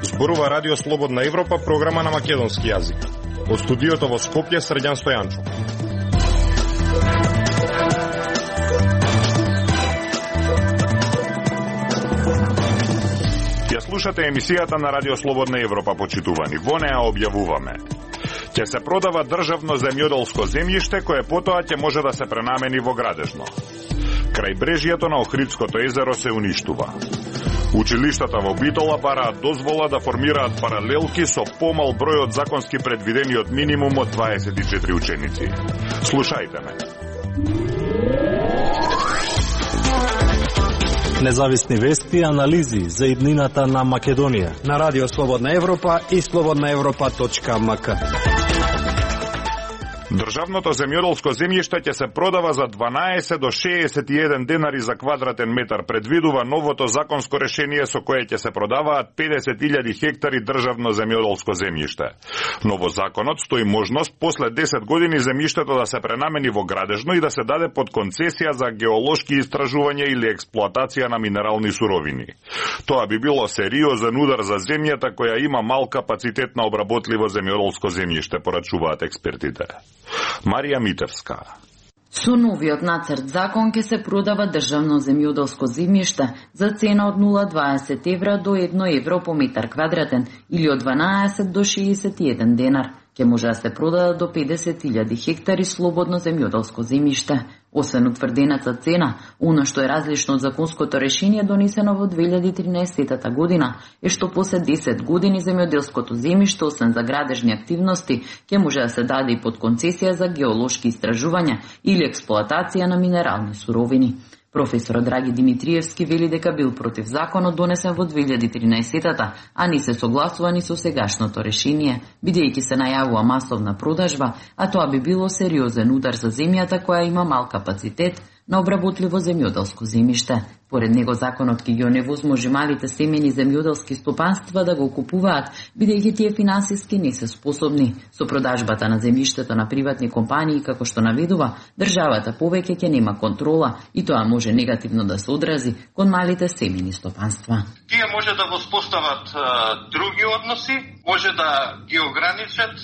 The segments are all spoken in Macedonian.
Зборува Радио Слободна Европа, програма на македонски јазик. Од студиото во Скопје, Срđan Стојанчов. Ја слушате емисијата на Радио Слободна Европа, почитувани. Во неа објавуваме: ќе се продава државно земјоделско земјиште кое потоа ќе може да се пренамени во градежно. Крајбрежјето на Охридското езеро се уништува. Училиштата во Битола бараат дозвола да формираат паралелки со помал број од законски предвидени од минимум од 24 ученици. Слушајте ме. Независни вести и анализи за иднината на Македонија на Радио Слободна Европа и slobodnaevropa.mk. Државното земјоделско земјиште ќе се продава за 12 до 61 денари за квадратен метар, предвидува новото законско решение со кое ќе се продаваат 50.000 хектари државно земјоделско земјиште. Но во законот стои можност после 10 години земјиштето да се пренамени во градежно и да се даде под концесија за геолошки истражувања или експлоатација на минерални суровини. Тоа би било сериозен удар за земјата која има мал капацитет на обработливо земјоделско земјиште, порачуваат експертите. Марија Митевска. Со новиот нацрт закон ќе се продава државно земјоделско земјиште за цена од 0,20 евра до 1 евро по метар квадратен или од 12 до 61 денар. Ќе може да се продадат до 50.000 хектари слободно земјоделско земјиште. Освен утврдената цена, оно што е различно од законското решение донесено во 2013 година е што после 10 години земјоделското земјиште, освен за градежни активности, ќе може да се даде и под концесија за геолошки истражувања или експлоатација на минерални суровини. Професорот Драги Димитриевски вели дека бил против законот донесен во 2013-та, а не се согласувани со сегашното решение, бидејќи се најавува масовна продажба, а тоа би било сериозен удар за земјата која има мал капацитет на обработливо земјоделско земјиште. Поред него законот ќе ги оневозможи малите семени земјоделски стопанства да го купуваат, бидејќи тие финансиски не се способни. Со продажбата на земјиштето на приватни компании, како што наведува, државата повеќе ќе нема контрола и тоа може негативно да се одрази кон малите семени стопанства. Тие може да воспостават други односи, може да ги ограничат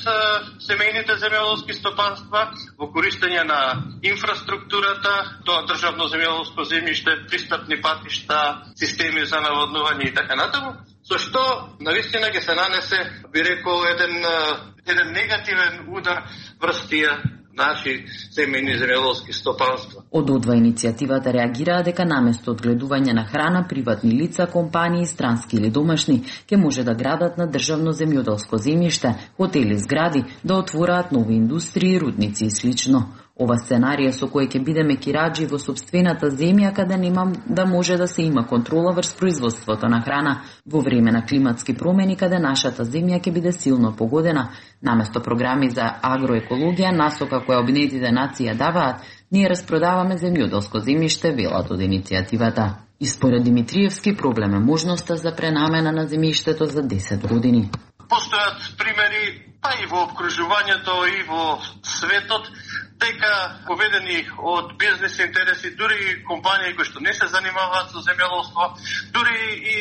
семејните земјоделски стопанства во користење на инфраструктурата, тоа државно земјоделско земјиште, пристапни патишта, системи за наводнување и така натаму, со што навистина ќе се нанесе, би рекол, еден негативен удар врз тие наши семејни земјоделски стопанства. Од одва иницијативата реагираа дека наместо од гледување на храна, приватни лица, компании, странски или домашни, ќе може да градат на државно земјоделско земјиште, хотели, згради, да отвораат нови индустрии, рудници и слично. Ова сценарија со кој ќе бидеме кираџи во сопствената земја каде нема да може да се има контрола врз производството на храна во време на климатски промени каде нашата земја ќе биде силно погодена, наместо програми за агроекологија, насока која Обединетите нации даваат, ние распродаваме земјоделско земјиште, велат од иницијативата. И според Димитриевски проблем е можноста за пренамена на земјиштето за 10 години. Постојат примери, па и во обкружувањето и во светот, дека поведени од бизнес интереси, дури и компании кои што не се занимаваат со земјоделство, дури и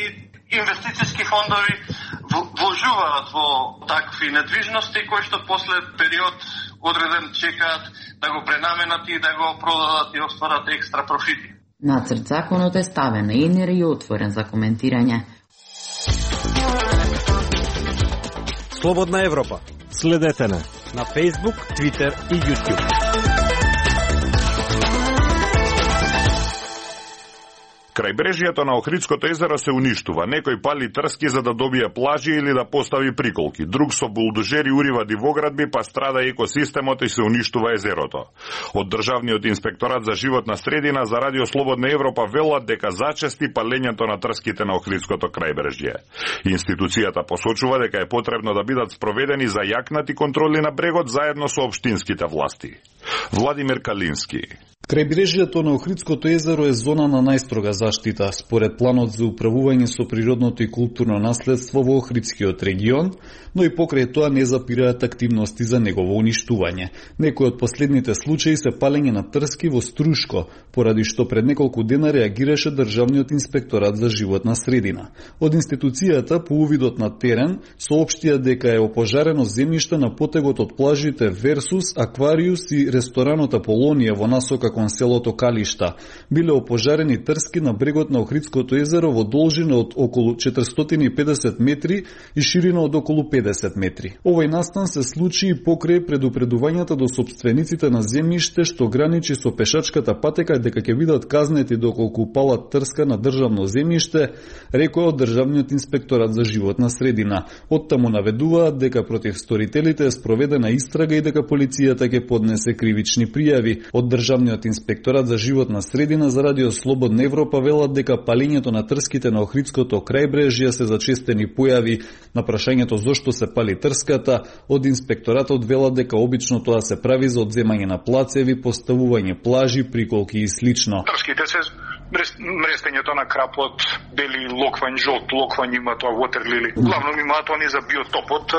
инвестициски фондови вложуваат во такви недвижности кои што после период одреден чекаат да го пренаменат и да го продадат и остварат екстра профити. Нацрт законот е ставен на енер и отворен за коментирање. Слободна Европа. Следете на Facebook, Twitter и YouTube. Крајбрежјето на Охридското езеро се уништува. Некој пали трски за да добие плажи или да постави приколки. Друг со булдожери урива дивоградби, па страда екосистемот и се уништува езерото. Од Државниот инспекторат за животна средина за Радио Слободна Европа велат дека зачести палењето на трските на Охридското крајбрежје. Институцијата посочува дека е потребно да бидат спроведени зајакнати контроли на брегот заедно со општинските власти. Владимир Калински. Крајбрежјето на Охридското езеро е зона на најстрога заштита, според планот за управување со природното и културно наследство во Охридскиот регион, но и покрај тоа не запираат активности за негово уништување. Некои од последните случаи се палење на трски во Струшко, поради што пред неколку дена реагираше Државниот инспекторат за животна средина. Од институцијата по увидот на терен соопштија дека е опожарено земјиште на потегот од плажите Версус, Аквариус и ресторанот Аполонија во насока кон селото Калишта. Биле опожарени трски на брегот на Охридското езеро во должина од околу 450 метри и ширина од околу 50 метри. Овој настан се случи и покрај предупредувањата до сопствениците на земјиште што граничи со пешачката патека дека ќе бидат казнети доколку палат трска на државно земјиште, рекоа од Државниот инспекторат за животна средина. Оттаму наведуваат дека против сторителите е спроведена истрага и дека полицијата ќе поднесе кривични пријави. Од Државниот инспекторат за животна средина за Радио Слободна Европа велат дека палењето на трските на Охридското крајбрежје се зачестени појави. На прашањето зошто се пали трската, од инспекторатот велат дека обично тоа се прави за одземање на плацеви, поставување плажи, приколки и слично. Трските се мрестењето на крапот, бели локвањ, жолт локвањ има тоа вотерлили. Главно имаат они за биотопот,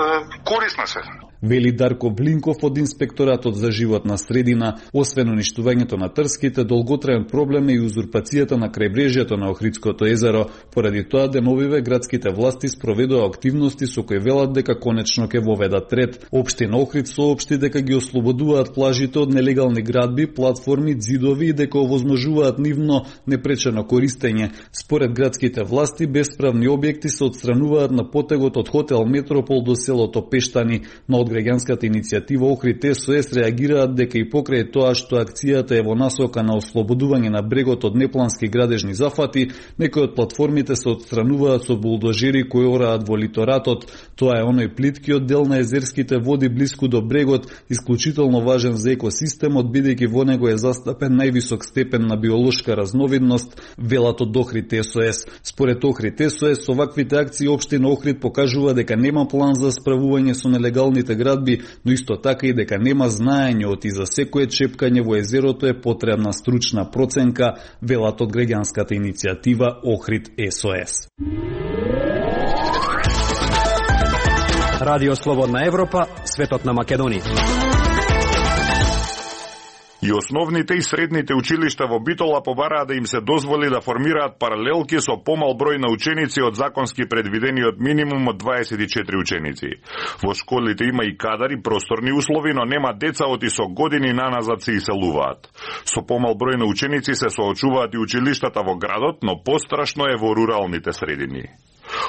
корисна се. Вели Дарко Блинков од инспекторатот за животна средина. Освен уништувањето на трските, долготраен проблем е и узурпацијата на крајбрежјето на Охридското езеро. Поради тоа деновиве градските власти спроведува активности со кои велат дека конечно ќе воведат ред. Општина Охрид соопшти дека ги ослободуваат плажите од нелегални градби, платформи, ѕидови и дека овозможуваат нивно непречено користење. Според градските власти, бесправни објекти се отстрануваат на потегот од хотел Метропол до селото Пештани. На граѓанската иницијатива Охрид СОС реагираат дека и покрај тоа што акцијата е во насока на ослободување на брегот од неплански градежни зафати, некои од платформите се отстрануваат со булдожери кои ораат во литоратот. Тоа е оној плиткиот дел на езерските води блиску до брегот, исклучително важен за екосистемот, бидејќи во него е застапен највисок степен на биолошка разновидност, велат од Охрид СОС. Според Охрид СОС, со ваквите акции општина Охрид покажува дека нема план за справување со нелегалните градби, но исто така и дека нема знаење од и за секое чепкање во езерото е потребна стручна проценка, велат од граѓанската иницијатива Охрид СОС. Радио Слободна Европа, светот на Македонија. И основните и средните училишта во Битола побараа да им се дозволи да формираат паралелки со помал број на ученици од законски предвидениот минимум од 24 ученици. Во школите има и кадар и просторни услови, но нема деца од и со години наназад се иселуваат. Со помал број на ученици се соочуваат и училиштата во градот, но пострашно е во руралните средини.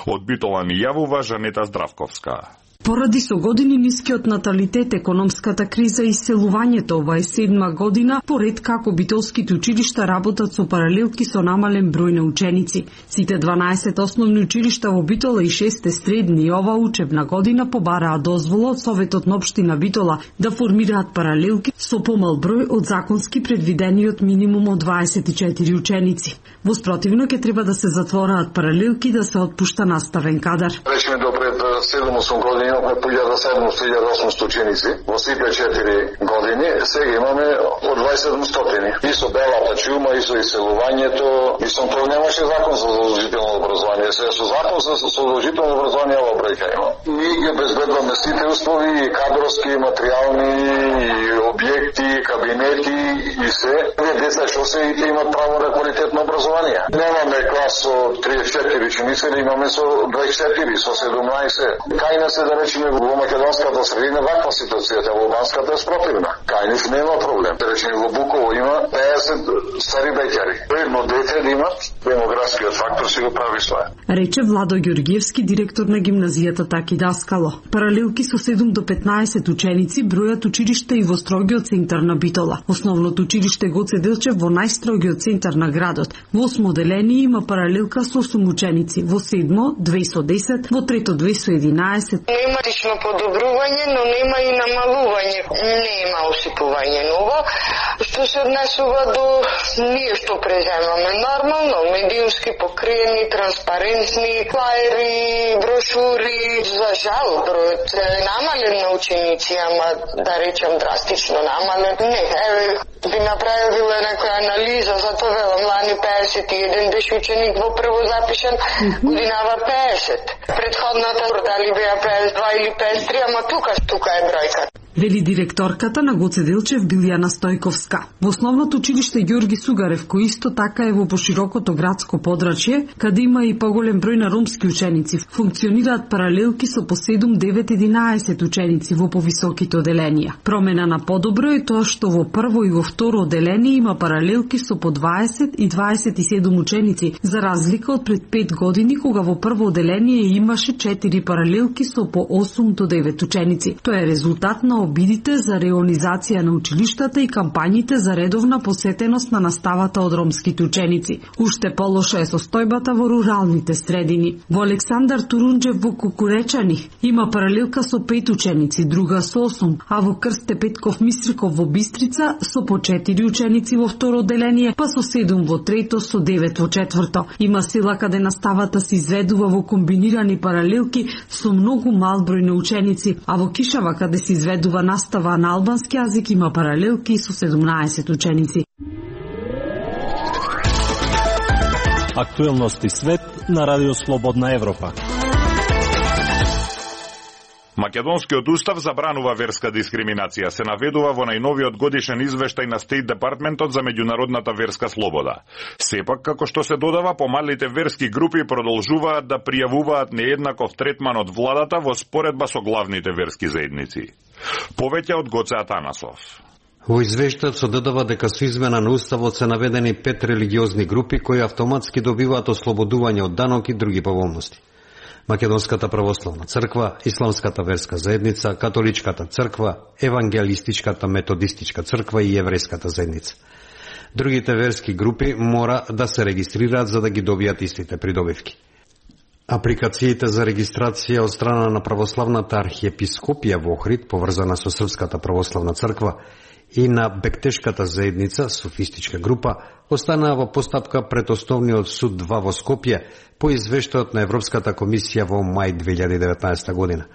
Од Битола ни јавува Жанета Здравковска. Поради со години нискиот наталитет, економската криза и иселувањето, ова е 7-ма година поред како битолските училишта работат со паралелки со намален број на ученици. Сите 12 основни училишта во Битола и 6 средни ова учебна година побараа дозвола од Советот на општина Битола да формираат паралелки со помал број од законски предвидениот минимум од 24 ученици. Во спротивно ќе треба да се затвораат паралелки да се отпушта наставен кадар. Речеме до пред 7-8 години имаме по 1700-1800 ученици, во сите 4 години, сега имаме од 2700. И со белата чума, и со иселувањето, и со тоа немаше закон за задолжително образование. Сега со закон за задолжително образование ова бројка има. Ние ги обезбедуваме сите услови, и кадровски, и материјални, и објекти, и кабинети, и се. Деца што се и имат право на квалитетно образование. Немаме клас со 34 ученици, имаме со 24, со 17. Кај нас да речеме во македонската средина ваква ситуацијата, во албанската е спротивна. Кај нив нема проблем. Да речеме во Буково има 50 стари беќари. Едно дете да имат, демографскиот фактор си го прави своја. Рече Владо Ѓоргиевски, директор на гимназијата Таки Даскало. Паралелки со 7 до 15 ученици бројат училишта и во строгиот центар на Битола. Основното училиште Гоце Делчев во најстрогиот центар на градот. Во 8 оделение има паралелка со 8 ученици, во 7 2 со 10, во 3 2 со 11. Не Има тично подобрување, но нема и намалување. Нема осипување ново. Што се однесува до ние што преземаме нормално, медиумски покриени, транспарентни, флаери, брошури. За жал, бројот е намален на ученици, ама да речем драстично намален. Не, би направила некоја анализа, затоа велам, лани 51 беше ученик во прво запишен, годинава 50. Предходната дали беа 52 или 53, ама тука е бројка. Вели директорката на Гоце Делчев Билјана Стојковска. Во основното училиште Ѓорги Сугарев, кој исто така е во поширокото градско подрачје, каде има и поголем број на ромски ученици, функционираат паралелки со по 7, 9, 11 ученици во повисоките оделенија. Промена на подобро е тоа што во прво и во второ оделение има паралелки со по 20 и 27 ученици, за разлика од пред 5 години кога во прво оделение имаше 4 паралелки со по 8 до 9 ученици. Тоа е резултат на обидите за реонизација на училиштата и кампањите за редовна посетеност на наставата од ромските ученици. Уште полоша е состојбата во руралните средини. Во Александар Турунџев во Кукуречани има паралелка со 5 ученици, друга со 8, а во Крсте Петков Мистриков во Бистрица со по 4 ученици во второ оделение, па со 7 во трето, со 9 во четврто. Има села каде наставата се изведува во комбинирани паралелки со многу мал број на ученици, а во Кишава каде се изведува настава на албански јазик има паралелки со 17 ученици. Актуелности свет на Радио Слободна Европа. Македонскиот устав забранува верска дискриминација, се наведува во најновиот годишен извештај на Стейт Департментот за меѓународната верска слобода. Сепак, како што се додава, помалите верски групи продолжуваат да пријавуваат нееднаков третман од владата во споредба со главните верски заедници. Повеќе од Гоце Атанасов. Во извештајот се додава дека со измена на уставот се наведени 5 религиозни групи кои автоматски добиваат ослободување од данок и други поволности. Македонската православна црква, Исламската верска заедница, Католичката црква, Евангелистичката методистичка црква и Еврејската заедница. Другите верски групи мора да се регистрираат за да ги добијат истите придобивки. Апликациите за регистрација од страна на православната архиепископија во Охрид, поврзана со Српската православна црква, и на Бектешката заедница, софистичка група, останаа во постапка пред Основниот суд 2 во Скопје по извештајот на Европската комисија во мај 2019 година.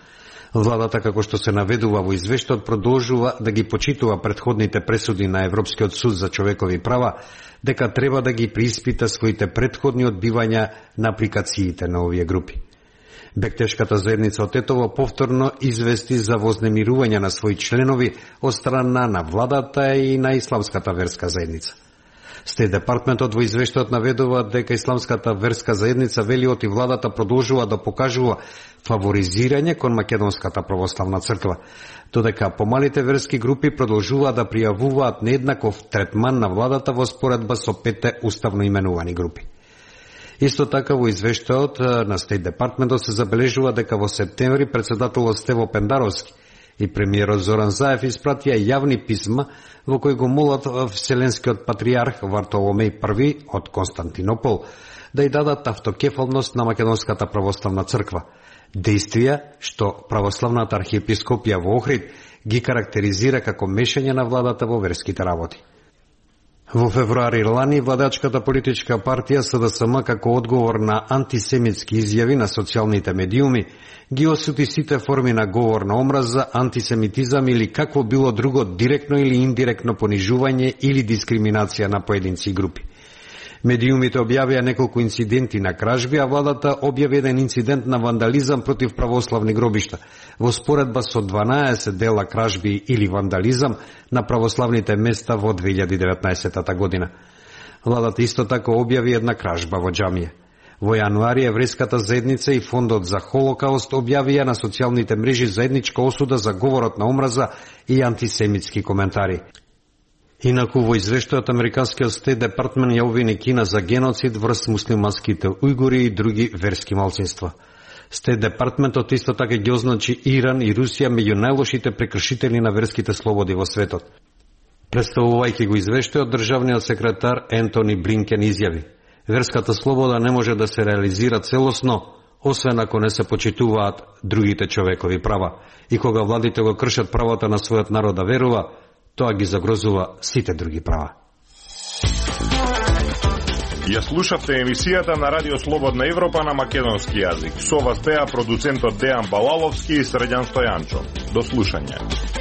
Владата, како што се наведува во извештајот, продолжува да ги почитува претходните пресуди на Европскиот суд за човекови права, дека треба да ги преиспита своите претходни одбивања на апликациите на овие групи. Бектешката заедница од Тетово повторно извести за вознемирување на своји членови од страна на владата и на Исламската верска заедница. Стейт Департментот во извештајот наведува дека Исламската верска заедница велиот и владата продолжува да покажува фаворизирање кон Македонската православна црква, додека помалите верски групи продолжуваат да пријавуваат нееднаков третман на владата во споредба со 5 уставно именувани групи. Исто така во извештајот на Стейт Департментот се забележува дека во септември председателот Стево Пендаровски и премиерот Зоран Заев испратија јавни писма во кои го молат Вселенскиот патријарх Вартоломеј I од Константинопол да ја дадат автокефалност на Македонската православна црква, действија што православната архиепископија во Охрид ги карактеризира како мешање на владата во верските работи. Во февруари лани, владачката политичка партија СДСМ како одговор на антисемитски изјави на социјалните медиуми ги осуди сите форми на говор на омраза, антисемитизам или какво било друго директно или индиректно понижување или дискриминација на поединци и групи. Медиумите објавија неколку инциденти на кражби, а владата објави еден инцидент на вандализам против православни гробишта, во споредба со 12 дела кражби или вандализам на православните места во 2019 година. Владата исто така објави една кражба во џамија. Во јануари Еврејската заедница и Фондот за Холокауст објавија на социјалните мрежи заедничка осуда за говорот на омраза и антисемитски коментари. Инаку во извештајот Американскиот Стейт Департмент ја обвини Кина за геноцид врз муслиманските ујгури и други верски малцинства. Стейт Департментот исто така ги означи Иран и Русија меѓу најлошите прекршители на верските слободи во светот. Представувајќи го извештајот, државниот секретар Ентони Блинкен изјави: верската слобода не може да се реализира целосно освен ако не се почитуваат другите човекови права. И кога владите го кршат правото на својот народ да верува, тоа ги загрозува сите други права. Ја слушавте емисијата на Радио Слободна Европа на македонски јазик. Со вас беа продуцентот Дејан Балаловски и Срđan Стојанчо. До слушање.